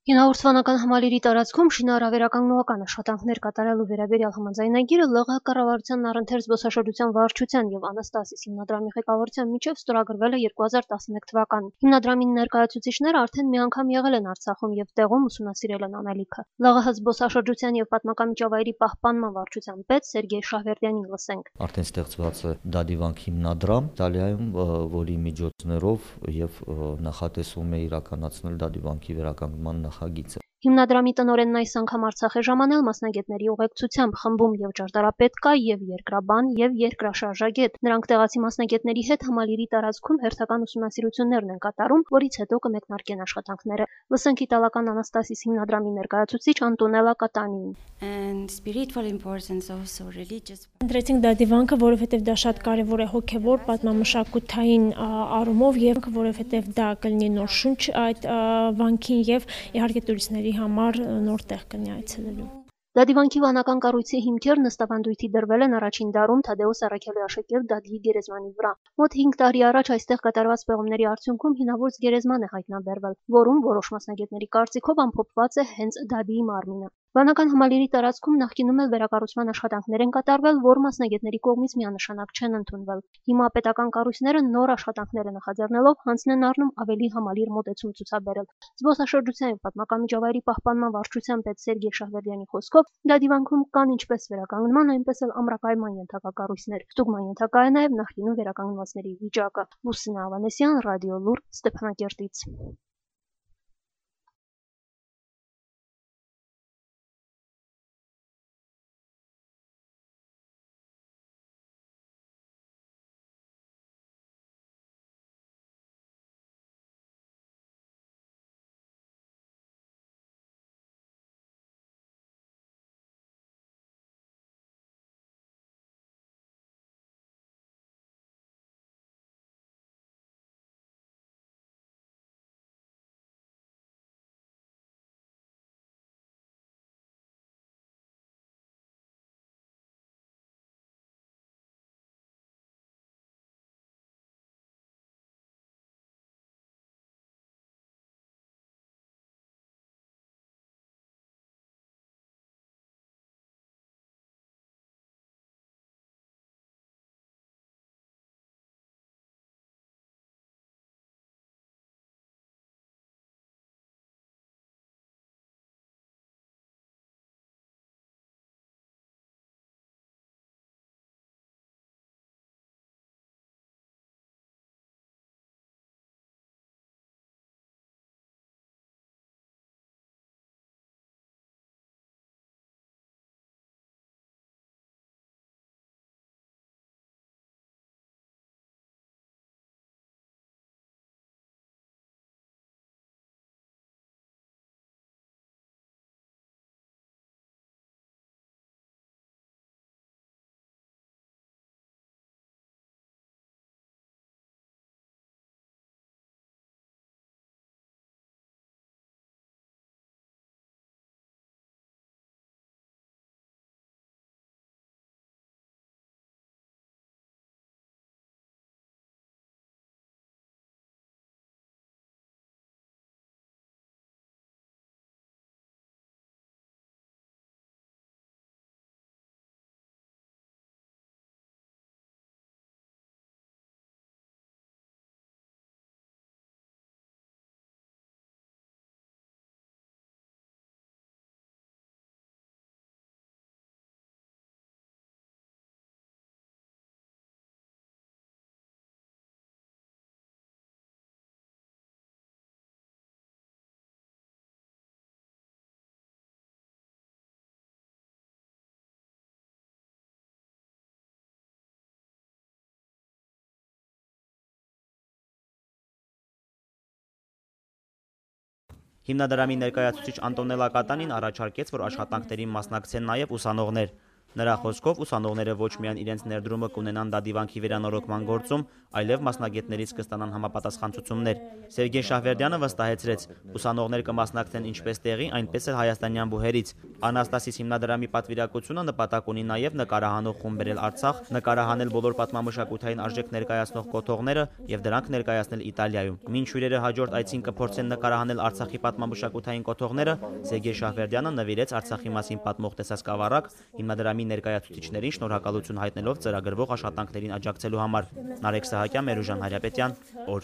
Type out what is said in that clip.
Հինավուրց համալիրի տարածքում շինարարական աշխատանքներ կատարելու վերաբերյալ համաձայնագիրը ԼՂՀ կառավարությանն առընթեր զբոսաշրջության վարչության եւ Անաստասիս հիմնադրամի ղեկավարության միջև ստորագրվել է 2011 թվականին։ Հիմնադրամի ներկայացուցիչները արդեն մի անգամ եղել են Արցախում եւ տեղում ուսումնասիրել են անելիքը։ ԼՂՀ զբոսաշրջության եւ պատմական միջավայրի պահպանման վարչության պետ Սերգեյ Շահվերդյանին լսենք։ Արդեն ստեղծված է Դադիվանք հիմնադրամ, Իտալիայում, որի միջոցներով եւ նախատեսում է իրականացնել Դադիվանքի վերականգնման նախագիծը։ Հիմնադրամի տնօրենն այս անգամ Արցախ է ժամանել մասնագետների ուղեկցությամբ, խմբում եւ ճարտարապետ կա, եւ երկրաբան, եւ երկրաշարժագետ։ Նրանք տեղացի մասնագետների հետ համալիրի տարածքում հերթական ուսումնասիրություններն են կատարում, որից հետո կմեկնարկեն աշխատանքները։ Լսենք իտալական Անաստասիս հիմնադրամի ներկայացուցիչ Անտոնելա Կատանիին։ Ընտրեցինք Դադիվանքը, որովհետև դա շատ կարևոր է հոգևոր, պատմամշակութային առումով եւ որովհետև դա կլինի նոր շունչ այդ վանքին եւ իհարկե տուրիստների համար նոր տեղ կլինի այցելելու։ Դադիվանքի վանական կառույցի հիմքերն ըստ ավանդույթի դրվել են առաջին դարում Թադեոս Առաքելի աշակերտ Դադիի գերեզմանի վրա։ Մոտ 5 տարի առաջ այստեղ կատարված պեղումների արդյունքում հինավուրց գերեզման է հայտնաբերվել, որում որոշ մասնագետների կարծիքով ամփոփված է հենց Դադիի մարմինը։ Վանական համալիրի տարածքում նախկինում էլ վերակառուցման աշխատանքներ են կատարվել, որ մասնագետների կողմից միանշանակ չեն ընդունվել։ Հիմա պետական կառույցները նոր աշխատանքները նախաձեռնելով հանձն են առնում ավելի համալիր մոտեցում ցուցաբերել։ Զբոսաշրջության եւ պատմական միջավայրի պահպանման վարչության պետ Սերգեյ Շահվերդյանի խոսքով Դադիվանքում կան ինչպես վերականգնման, այնպես էլ ամրակայման ենթակա կառույցներ։ Ստուգման ենթակա է նաեւ նախկինում վերականգնվածների վիճակը։ Լուսինե Ավանեսյան, Ռադիո Լուր, Ստեփանակերտից։ Հիմնադրամի ներկայացուցիչ Անտոնելա Կատանին առաջարկեց, որ աշխատանքներին մասնակցեն նաև ուսանողներ։ Նրա խոսքով ուսանողները ոչ միայն իրենց ներդրումը կունենան դադիվանքի վերանորոգման գործում, այլև մասնագետներից կստանան համապատասխան ցուցումներ։ Սերգեյ Շահվերդյանը վստահեցրեց, ուսանողներ կմասնակցեն ինչպես տեղի, այնպես էլ հայաստանյան բուհերից։ Անաստասիս հիմնադրամի պատվիրակությունը նպատակ ունի նաև նկարահանող խումբ բերել Արցախ, նկարահանել բոլոր պատմամշակութային արժեք ներկայացնող կոթողները եւ դրանք ներկայացնել Իտալիայում։ Մինչ հյուրերը հաջորդ այցին կփորձեն նկարահանել Արցախի պատմամշակութային կոթողները, Սերգեյ Շահվերդյանը նվիրեց Արցախի մասին պատմող տեսասկավառակ հիմնադրամի ներկայացուցիչներին շնորհակալություն հայտնելով ծրագրվող աշխատանքներին աջակցելու համար։ Նարեկ Սահակյան, Մերուժան Հարապետյան, օր։